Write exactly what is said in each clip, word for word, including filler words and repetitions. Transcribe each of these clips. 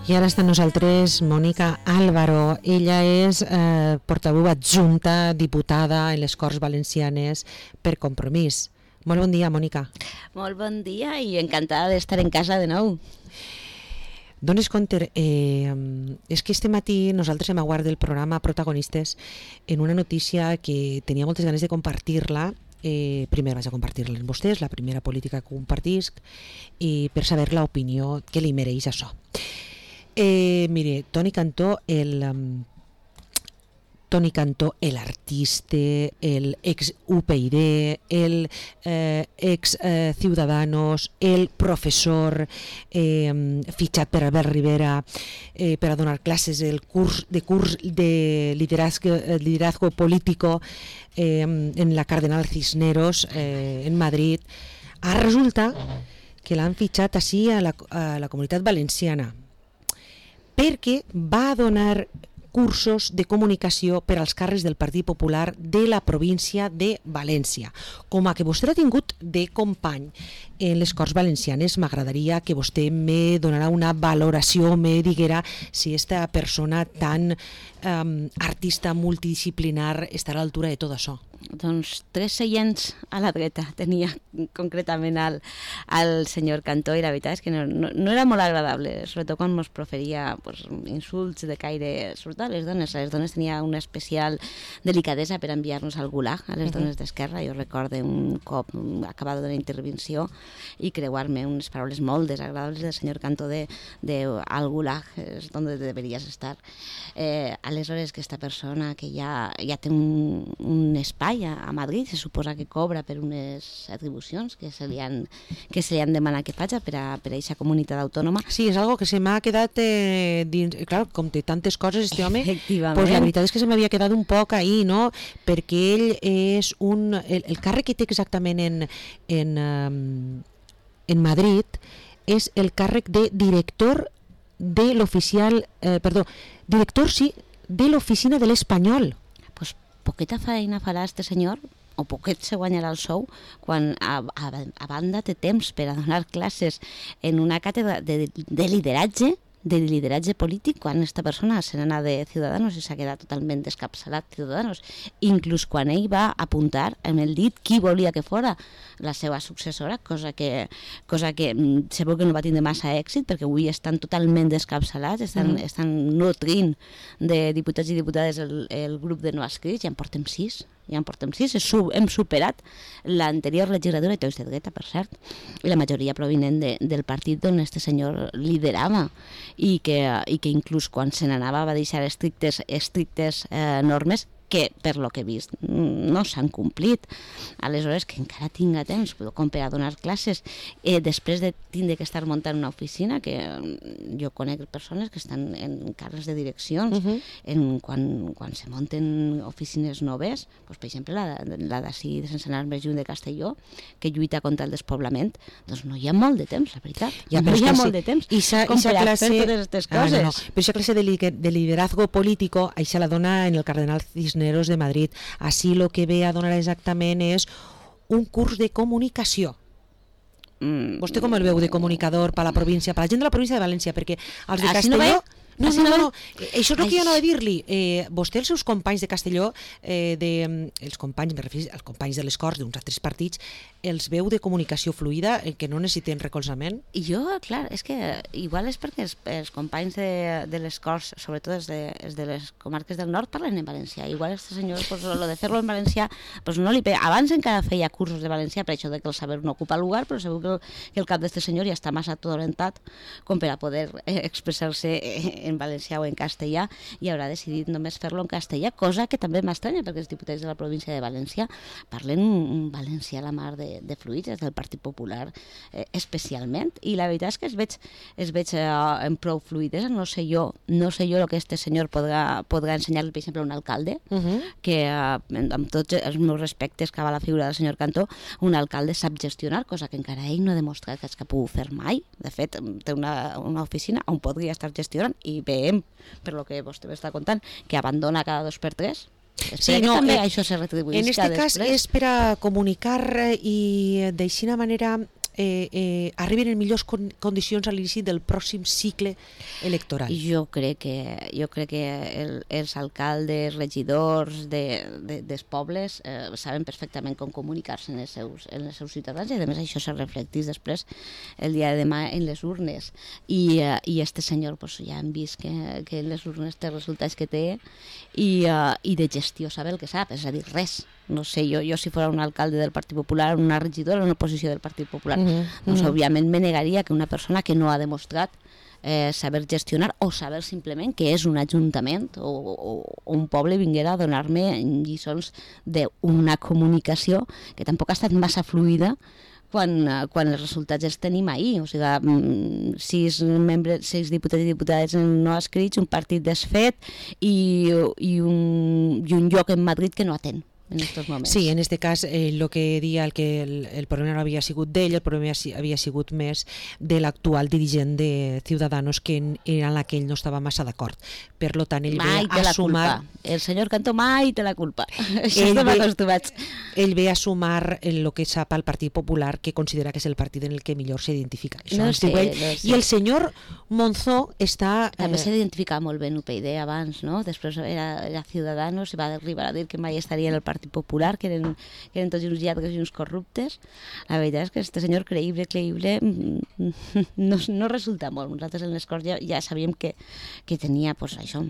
I ara està amb nosaltres Mònica Álvaro. Ella és eh, portaveu adjunta, diputada en les Corts Valencianes per Compromís. Molt bon dia, Mònica. Molt bon dia i encantada d'estar en casa de nou. Dones compte, eh, és que este matí nosaltres hem aguardat el programa Protagonistes en una notícia que tenia moltes ganes de compartir-la. Eh, primer vaig a compartir-la amb vostès, la primera política que compartisc, i per saber l'opinió que li mereix això. Eh, mire, Toni Cantó, el um, Toni Cantó, el artista, el ex U P y, el eh, ex eh, Ciudadanos, el professor eh, fitxat per Albert Rivera eh, per a donar classes del curs de curs de liderazgo, liderazgo político eh, en la Cardenal Cisneros eh, en Madrid. Ara resulta que l'han fitxat així a la, a la Comunitat Valenciana, perquè va donar cursos de comunicació per als càrrecs del Partit Popular de la província de València. Com a que vostè ha tingut de company en les Corts Valencianes, m'agradaria que vostè me donarà una valoració, me diguera si esta persona tan um, artista multidisciplinar estarà a l'altura de tot això. Doncs tres seients a la dreta tenia concretament el, el senyor Cantó, i la veritat és que no, no, no era molt agradable, sobretot quan ens proferia pues, insults de caire, sobretot a les dones. A les dones tenia una especial delicadesa per enviar-nos al gulag, a les uh-huh. dones d'Esquerra. Jo recordo un cop acabat d'una intervenció i creuar-me unes paraules molt desagradables del senyor Cantó de, de al gulag és on deveries estar. Eh, aleshores, aquesta persona que ja, ja té un, un espai a Madrid, se suposa que cobra per unes atribucions que se li han, que se li han demanat que faci per a aquesta comunitat autònoma. Sí, és algo que se m'ha quedat eh, dins, clar, com té tantes coses este home, pues la veritat és que se m'havia quedat un poc ahí, no? Perquè ell és un... El, el càrrec que té exactament en, en, um, en Madrid és el càrrec de director de l'oficial... Eh, perdó, director, sí, de l'oficina de l'Espanyol. Poqueta feina farà este senyor, o poquet se guanyarà el sou, quan a, a, a banda té temps per a donar classes en una càtedra de, de lideratge, de lideratge polític, quan aquesta persona se n'ha anat de Ciudadanos i s'ha quedat totalment descapçalat Ciudadanos. Inclús quan ell va apuntar amb el dit qui volia que fora la seva successora, cosa que, cosa que segur que no va tindre massa èxit, perquè avui estan totalment descapçalats, estan, mm. estan nutrint de diputats i diputades el, el grup de no escrits, ja en portem sis. Ja en portem sis, hem superat l'anterior legislatura, i tots de dreta, per cert, i la majoria provinent de, del partit on este senyor liderava, i que, i que inclús quan se n'anava va deixar estrictes, estrictes eh, normes que, per lo que he vist, no s'han complit. Aleshores, que encara tinga temps com per a donar classes, eh, després de tindre que estar muntant una oficina, que jo conec persones que estan en càrrecs de direccions, uh-huh. en, quan, quan se munten oficines noves, doncs, per exemple, la, la d'ací, sense anar més lluny de Castelló, que lluita contra el despoblament, doncs no hi ha molt de temps, la veritat. Ja, no hi ha molt de temps com per a fer totes aquestes coses. Ah, no, no. Però aquesta classe de, li, de liderazgo político, això la dona en el Cardenal Cisneros de Madrid. Així el que ve a donar exactament és un curs de comunicació. Mm. Vostè com el veu de comunicador per a la província, per a la gent de la província de València? Perquè els de Així Castelló... No No, no, no, no, això és el que jo anava a dir-li. Eh, vostè, els seus companys de Castelló, eh, de, els companys, me refereixo als companys de les Corts d'uns altres partits, els veu de comunicació fluida, eh, que no necessiten recolzament? I jo, clar, és que igual és perquè els, els companys de, de les Corts, sobretot els de, els de les comarques del nord, parlen en valencià. Igual este senyor, pues, lo de fer-lo en valencià, pues no li pega. Abans encara feia cursos de valencià, per això de que el saber no ocupa lugar, però segur que el, que el cap d'este senyor ja està massa tot orientat com per a poder eh, expressar-se eh, en valencià o en castellà, i haurà decidit només fer-lo en castellà, cosa que també m'estranya perquè els diputats de la província de València parlen un valencià a la mar de, de fluids, des del Partit Popular eh, especialment, i la veritat és que es veig, es veig eh, en prou fluidesa. No sé jo, no sé jo el que este senyor podrà, podrà ensenyar-li, per exemple, a un alcalde, uh-huh. que eh, amb tots els meus respectes cap a la figura del senyor Cantó, un alcalde sap gestionar, cosa que encara ell no ha demostrat que és que pugui fer mai. De fet, té una, una oficina on podria estar gestionant, i veiem, per lo que vostè m'està contant, que abandona cada dos per tres. Sí, no, també eh, això se retribuïsca en este cas després. És per a comunicar i d'eixina manera eh, eh, arriben en millors con condicions a l'inici del pròxim cicle electoral? Jo crec que, jo crec que el, els alcaldes, regidors de, de, dels pobles eh, saben perfectament com comunicar-se en, els seus, en els seus ciutadans, i a més això se reflecteix després el dia de demà en les urnes. I, eh, i este senyor pues, ja hem vist que, que en les urnes té resultats que té, i, uh, i de gestió sabe el que sap, és a dir, res. No sé, jo, jo si fos un alcalde del Partit Popular, una regidora, una oposició del Partit Popular, mm-hmm. doncs òbviament me negaria que una persona que no ha demostrat eh, saber gestionar o saber simplement que és un ajuntament o, o, o un poble vinguera a donar-me lliçons d'una comunicació que tampoc ha estat massa fluida quan, quan els resultats els tenim ahir. O sigui, sis, membres, sis diputats i diputades no escrits, un partit desfet i, i, un, i un lloc en Madrid que no atén en estos moments. Sí, en este cas el eh, que dia el que el, el problema no havia sigut d'ell, el problema havia sigut més de l'actual dirigent de Ciudadanos, que en, en la que ell no estava massa d'acord. Per lo tant, ell mai ve a sumar... El senyor Cantó mai té la culpa. Això estem acostumats. Ell ve a sumar el que sap al Partit Popular, que considera que és el partit en el que millor s'identifica. No sé, ell. no sé. I el senyor Monzó està... També eh... s'identificava molt bé en U P y D abans, no? Després era, era Ciudadanos i va arribar a dir que mai estaria en el Partit Popular, que eren, que eren tots uns lladres i uns corruptes. La veritat és que este senyor creïble, creïble, no, no resulta molt. Nosaltres en les Corts ja, ja sabíem que, que tenia, pues, això,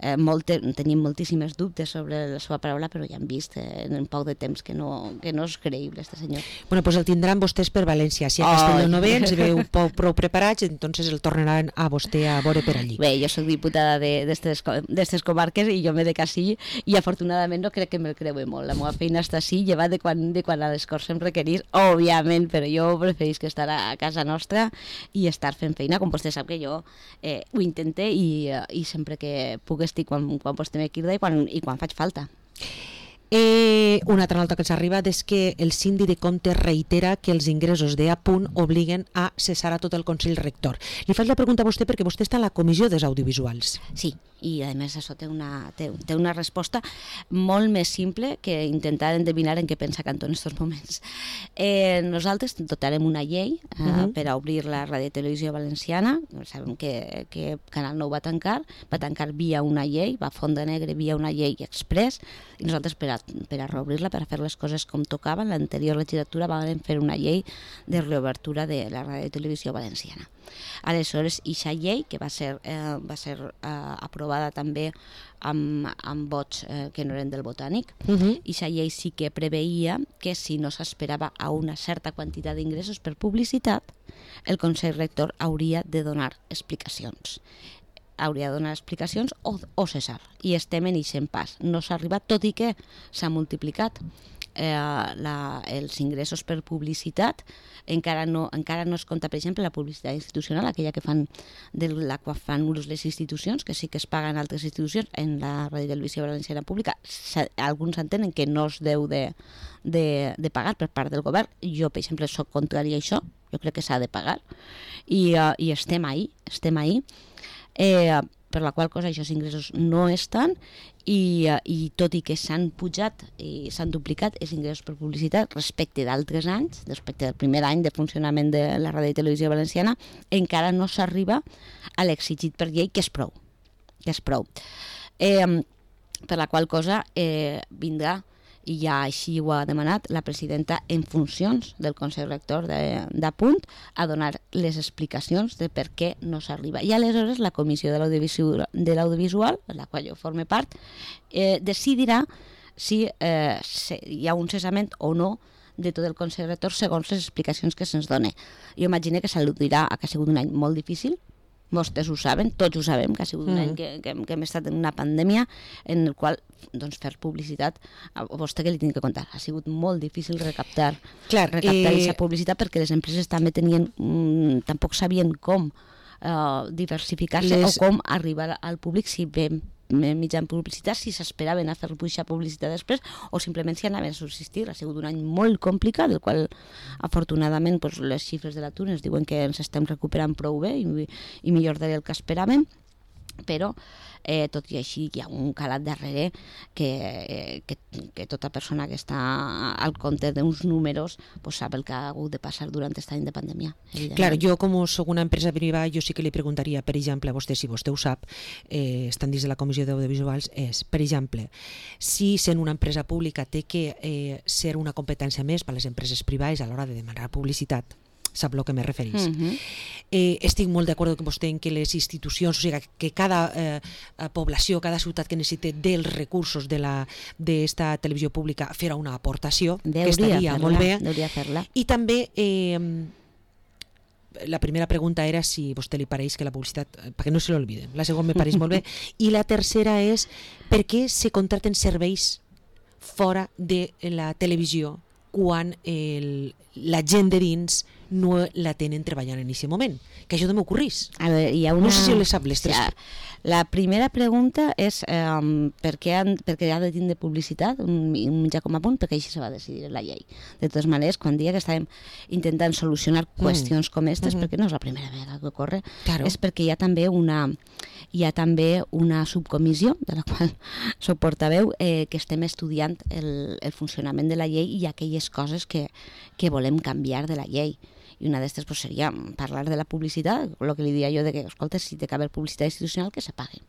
eh, molte, teníem moltíssimes dubtes sobre la seva paraula, però ja hem vist eh, en un poc de temps que no, que no és creïble, este senyor. Bueno, pues el tindran vostès per València. Si a Castelló no ve, ens veu prou, prou preparats, entonces el tornaran a vostè a veure per allí. Bé, jo soc diputada d'estes comarques i jo me dec així, i afortunadament no crec que me'l creue molt. La meva feina està així, llevat de quan, de quan a les Corts em requerís, òbviament, però jo preferís que estar a casa nostra i estar fent feina, com vostè sap que jo eh, ho intente i, i sempre que puc estic quan, quan vostè m'equirda i quan, i quan faig falta. Eh, una altra nota que ens arriba és que el síndic de Comptes reitera que els ingressos d'E A Punt obliguen a cessar a tot el Consell Rector. Li faig la pregunta a vostè perquè vostè està a la Comissió dels Audiovisuals. Sí, i a més això té una, té, té una resposta molt més simple que intentar endevinar en què pensa Cantó en aquests moments. Eh, nosaltres dotarem una llei eh, uh-huh. per a obrir la Ràdio i Televisió Valenciana. Sabem que, que Canal nou va tancar, va tancar via una llei, va a Fonda Negre via una llei express, i nosaltres per a, per a reobrir-la, per a fer les coses com tocaven, l'anterior legislatura vam fer una llei de reobertura de la Ràdio i Televisió Valenciana. Aleshores, aquesta llei, que va ser, eh, va ser eh, aprovada també amb, amb vots eh, que no eren del Botànic, uh-huh. aquesta llei sí que preveia que si no s'esperava a una certa quantitat d'ingressos per publicitat, el Consell Rector hauria de donar explicacions. hauria de donar explicacions o, o cessar. I estem en aquest pas. No s'ha arribat, tot i que s'ha multiplicat eh, la, els ingressos per publicitat. Encara no, encara no es compta, per exemple, la publicitat institucional, aquella que fan de la que fan ús les institucions, que sí que es paguen altres institucions en la Ràdio i Televisió Valenciana Pública. Alguns entenen que no es deu de, de, de pagar per part del govern. Jo, per exemple, soc contrari a això. Jo crec que s'ha de pagar. I, uh, i estem ahí, estem ahí. Eh, per la qual cosa aquests ingressos no estan i, uh, i tot i que s'han pujat i s'han duplicat els ingressos per publicitat respecte d'altres anys, respecte del primer any de funcionament de la Ràdio i Televisió Valenciana, encara no s'arriba a l'exigit per llei, que és prou. Que és prou. Eh, per la qual cosa eh, vindrà, i ja així ho ha demanat la presidenta en funcions del Consell Rector de, de Punt, a donar les explicacions de per què no s'arriba. I aleshores la Comissió de l'Audiovisual, de l'Audiovisual, en la qual jo forme part, eh, decidirà si eh, se, hi ha un cessament o no de tot el Consell Rector segons les explicacions que se'ns dona. Jo imagino que s'al·ludirà a que ha sigut un any molt difícil. Vostès ho saben, tots ho sabem, que ha sigut un any que, que, que hem estat en una pandèmia en el qual doncs, fer publicitat, a vostè que li tinc que contar, ha sigut molt difícil recaptar, Clar, recaptar eh... aquesta publicitat perquè les empreses també tenien, mmm, tampoc sabien com uh, diversificar-se les... o com arribar al públic si vam mitjan publicitat, si s'esperaven a fer pujar publicitat després o simplement si anaven a subsistir. Ha sigut un any molt complicat, del qual afortunadament pues, les xifres de l'atur ens diuen que ens estem recuperant prou bé i, i millor del que esperàvem. però eh, tot i així hi ha un calat darrere que, que, que tota persona que està al compte d'uns números pues, sap el que ha hagut de passar durant aquest any de pandèmia. Claro, jo com soc una empresa privada, jo sí que li preguntaria, per exemple, a vostè, si vostè ho sap, eh, estan dins de la Comissió d'Audiovisuals, és, per exemple, si sent una empresa pública té que eh, ser una competència més per a les empreses privades a l'hora de demanar publicitat, sap el que me referís. Uh-huh. eh, estic molt d'acord amb vostè en que les institucions, o sigui, que cada eh, població, cada ciutat que necessite dels recursos d'esta de televisió pública fer una aportació, Deuria que estaria fer-la, molt bé. Deuria fer-la. I també eh, la primera pregunta era si a vostè li pareix que la publicitat, perquè no se l'olviden, la segona me pareix molt bé, i la tercera és per què se contraten serveis fora de la televisió quan el, la gent de dins no la tenen treballant en aquest moment, que això no m'ocorrís. A veure, hi ha una... No sé si les sap les tres. Ja, la primera pregunta és um, per, què han, per què ha de tindre publicitat un, un mitjà com a punt, perquè això se va decidir en la llei. De totes maneres, quan dia que estàvem intentant solucionar qüestions mm. com aquestes, mm-hmm. perquè no és la primera vegada que ocorre, claro. És perquè hi ha també una hi ha també una subcomissió de la qual soc portaveu eh, que estem estudiant el, el funcionament de la llei i aquelles coses que, que volem canviar de la llei. I una d'estes pues, seria parlar de la publicitat, el que li diria jo de que, escolta, si té que haver publicitat institucional, que se pague.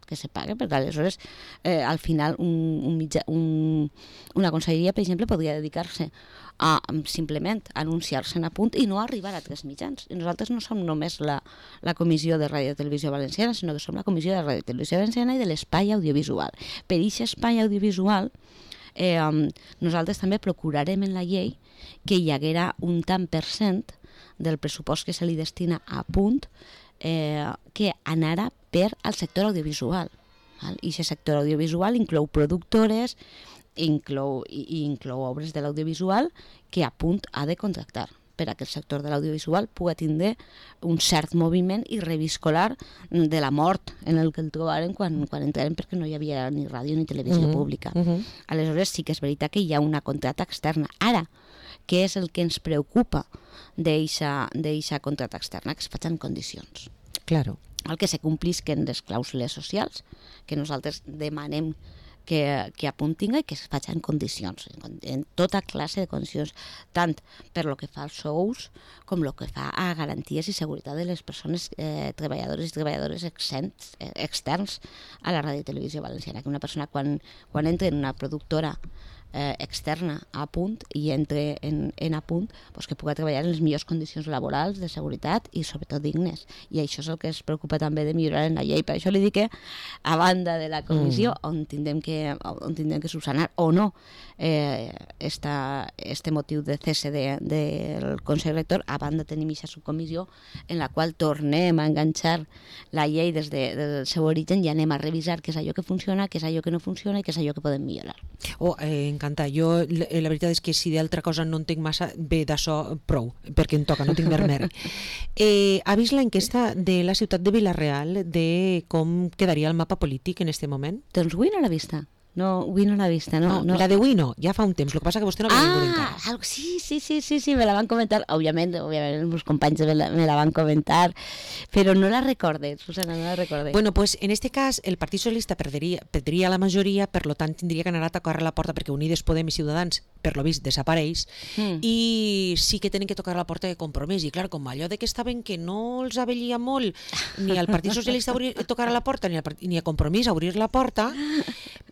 Que se pague, perquè aleshores, eh, al final, un, un mitjà, un, una conselleria, per exemple, podria dedicar-se a simplement anunciar-se en a punt i no arribar a tres mitjans. I nosaltres no som només la, la Comissió de Ràdio i Televisió Valenciana, sinó que som la Comissió de Ràdio i Televisió Valenciana i de l'Espai Audiovisual. Per aquest espai audiovisual, eh, nosaltres també procurarem en la llei que hi haguera un tant per cent del pressupost que se li destina a punt eh, que anara per al sector audiovisual. Val? I aquest sector audiovisual inclou productores, inclou, i, i inclou obres de l'audiovisual que a punt ha de contractar per a que el sector de l'audiovisual pugui tindre un cert moviment i reviscolar de la mort en el que el trobaren quan, quan entraren perquè no hi havia ni ràdio ni televisió uh-huh. pública. Uh-huh. Aleshores sí que és veritat que hi ha una contracta externa. Ara, què és el que ens preocupa d'eixa contracta externa? Que es facin condicions. Claro. El que se complisquen les clàusules socials, que nosaltres demanem que, que apuntin i que es facin condicions, en, en tota classe de condicions, tant per lo que fa als sous com el que fa a garanties i seguretat de les persones eh, treballadores i treballadores externs, eh, externs a la ràdio i televisió valenciana. Que una persona quan, quan entra en una productora eh, externa a punt i entre en, en a punt, pues que pugui treballar en les millors condicions laborals, de seguretat i sobretot dignes. I això és el que es preocupa també de millorar en la llei. Per això li dic que a banda de la comissió mm. on tindrem que, on tindrem que subsanar o no eh, esta, este motiu de cese de, del Consell Rector, a banda tenim aquesta subcomissió en la qual tornem a enganxar la llei des, de, des del seu origen i anem a revisar què és allò que funciona, què és allò que no funciona i què és allò que podem millorar. Oh, eh, encanta. Jo, la, la veritat és que si d'altra cosa no entenc massa, bé, d'això prou, perquè em toca, no tinc mer. Eh, ha vist l'enquesta de la ciutat de Vila-real de com quedaria el mapa polític en este moment? Doncs avui no l'ha vista. No, avui no l'ha vista, no, no, no. La d'avui no, ja fa un temps, el que passa que vostè no havia ah, vingut encara. Sí, sí, sí, sí, sí, me la van comentar, òbviament, òbviament els meus companys me la, me la van comentar, però no la recorde, Susana, no la recorde. Bueno, pues en este cas el Partit Socialista perdria, perdria la majoria, per lo tant tindria que anar a tocar a la porta perquè Unides Podem i Ciutadans, per lo vist, desapareix, mm. i sí que tenen que tocar a la porta de Compromís, i clar, com allò de que estaven que no els avellia molt ni al Partit Socialista obrir, tocar a la porta, ni, al, ni a Compromís a obrir la porta,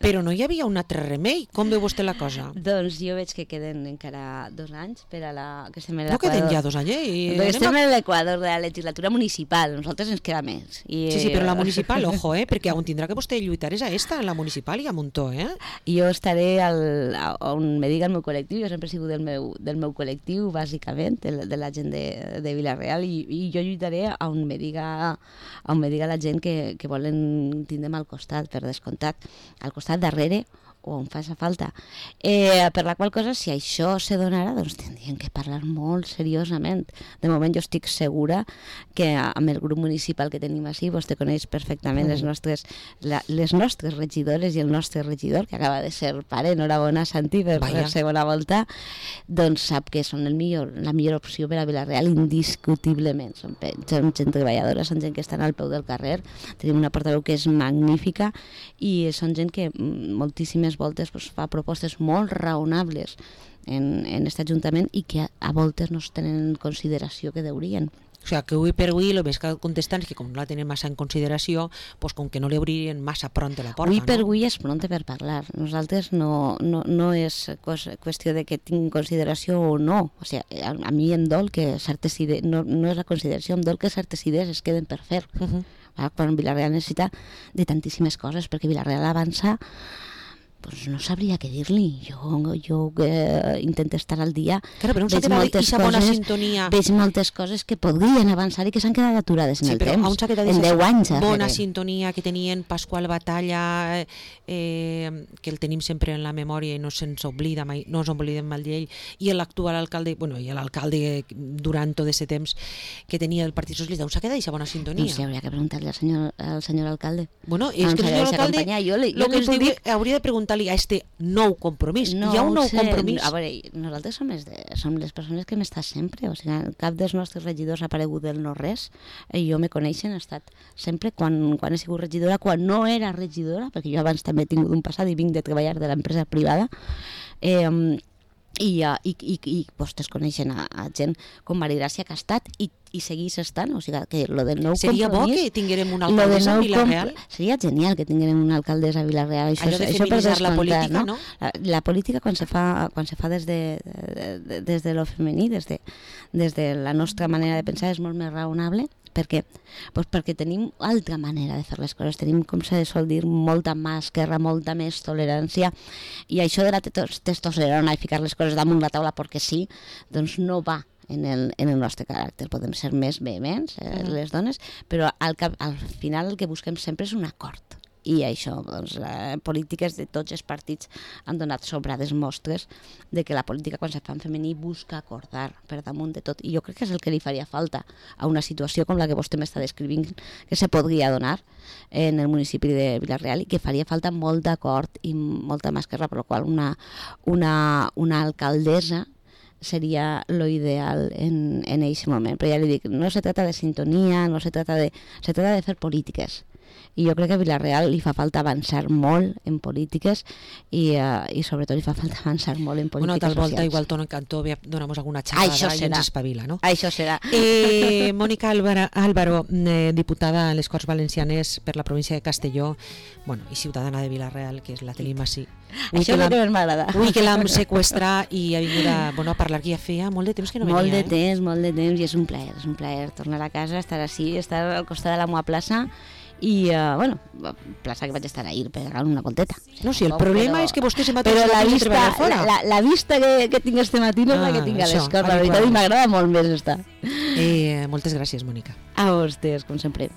però no hi havia un altre remei. Com veu vostè la cosa? Doncs jo veig que queden encara dos anys per a la... Que estem en no queden ja dos anys, eh? I estem a... en l'equador de la legislatura municipal, nosaltres ens queda més. I, sí, sí, però la municipal, ojo, eh? Perquè on tindrà que vostè lluitar és a esta, en la municipal i a Montó, eh? Jo estaré al, on me diga el meu col·lectiu, jo sempre he sigut del meu, del meu col·lectiu, bàsicament, de, de la gent de, de Vila-real, i, i jo lluitaré on me diga, on me diga la gent que, que volen tindre'm al costat, per descomptat. Al costat darrere o on faci falta. Eh, per la qual cosa, si això se donara, doncs tindrien que parlar molt seriosament. De moment jo estic segura que amb el grup municipal que tenim així, vostè coneix perfectament les nostres, la, les nostres regidores i el nostre regidor, que acaba de ser pare, enhorabona Santi per la segona volta, doncs sap que són el millor, la millor opció per a Vila-real indiscutiblement. Són, són gent treballadora, són gent que estan al peu del carrer, tenim una portaveu que és magnífica i són gent que moltíssimes voltes pues, fa propostes molt raonables en, en aquest Ajuntament i que a, a voltes no es tenen en consideració que deurien. O sigui, que avui per avui el més que contestant és que com no la tenen massa en consideració, pues, com que no li obrien massa pront la porta. Avui per no? avui és pront per parlar. Nosaltres no, no, no és qüestió de que tinc consideració o no. O sigui, a, a mi em dol que certes idees, no, no és la consideració, em dol que certes idees es queden per fer. Uh-huh. Quan Vila-real necessita de tantíssimes coses, perquè Vila-real avança, pues no sabria què dir-li. Jo, jo eh, intento estar al dia, claro, però veig, moltes coses, sintonia... veig moltes coses que podrien avançar i que s'han quedat aturades en sí, el temps, en deu anys. Bona sintonia que tenien Pasqual Batalla, eh, que el tenim sempre en la memòria i no se'ns oblida mai, no ens oblidem mal d'ell, i l'actual alcalde, bueno, i l'alcalde durant tot aquest temps que tenia el Partit Socialista, on s'ha quedat aquesta bona sintonia? No sé, hauria que preguntar-li al senyor, al senyor alcalde. Bueno, és que el senyor alcalde, jo li, jo lo que ens diu, dir... hauria de preguntar a este nou compromís. No, hi ha un nou sé, compromís. A veure, nosaltres som, de, som les persones que hem estat sempre, o sigui, cap dels nostres regidors ha aparegut del no-res, i jo me coneixen, he estat sempre, quan, quan he sigut regidora, quan no era regidora, perquè jo abans també he tingut un passat i vinc de treballar de l'empresa privada, eh, i, uh, i, i, i vostès coneixen a, a gent com Marigràcia que ha estat i, i seguís estant, o sigui que lo del nou seria compromís... Seria bo que tinguérem una alcaldessa a Vila-real? Com... Seria genial que tinguérem una alcaldessa a Vila-real. Això, allò de això feminitzar la política, no? no? La, la política quan se fa, quan se fa des, de, de, de, des de lo femení, des de, des de la nostra manera de pensar, és molt més raonable. Per què? Pues perquè tenim altra manera de fer les coses, tenim, com se sol dir, molta més guerra, molta més tolerància, i això de la testosterona i ficar les coses damunt la taula perquè sí, doncs no va en el, en el nostre caràcter. Podem ser més vehements, eh, uh-huh. les dones, però al, cap, al final el que busquem sempre és un acord. I això, doncs, eh, polítiques de tots els partits han donat sobrades mostres de que la política quan se fa en femení busca acordar per damunt de tot, i jo crec que és el que li faria falta a una situació com la que vostè m'està descrivint que se podria donar en el municipi de Vila-real i que faria falta molt d'acord i molta més guerra, per la qual una, una, una alcaldessa seria lo ideal en, en aquest moment. Però ja li dic, no se trata de sintonia, no se trata de... se trata de fer polítiques. I jo crec que a Vila-real li fa falta avançar molt en polítiques i, uh, i sobretot li fa falta avançar molt en polítiques socials. Bueno, tal volta socials. igual Tono Cantó donamos alguna xerrada i ens espavila, no? Això serà. Eh, Mònica Álvaro, Álvaro eh, diputada a les Corts Valencianes per la província de Castelló, bueno, i ciutadana de Vila-real, que és la tenim així. Això és el que més m'agrada. Avui que l'hem seqüestrat i ha vingut a, bueno, a parlar, que ja feia molt de temps que no venia. Molt de eh? temps, molt de temps, i és un plaer, és un plaer tornar a casa, estar així, estar al costat de la meva plaça, i, uh, bueno, plaça que vaig estar ahir per anar una volteta. No, si el problema però, és que vostè se va però la vista, fora. La, la vista que, que tinc este matí no és ah, la que tinc a les Corts, la veritat, i m'agrada molt més estar. Eh, moltes gràcies, Mònica. A vostès, com sempre.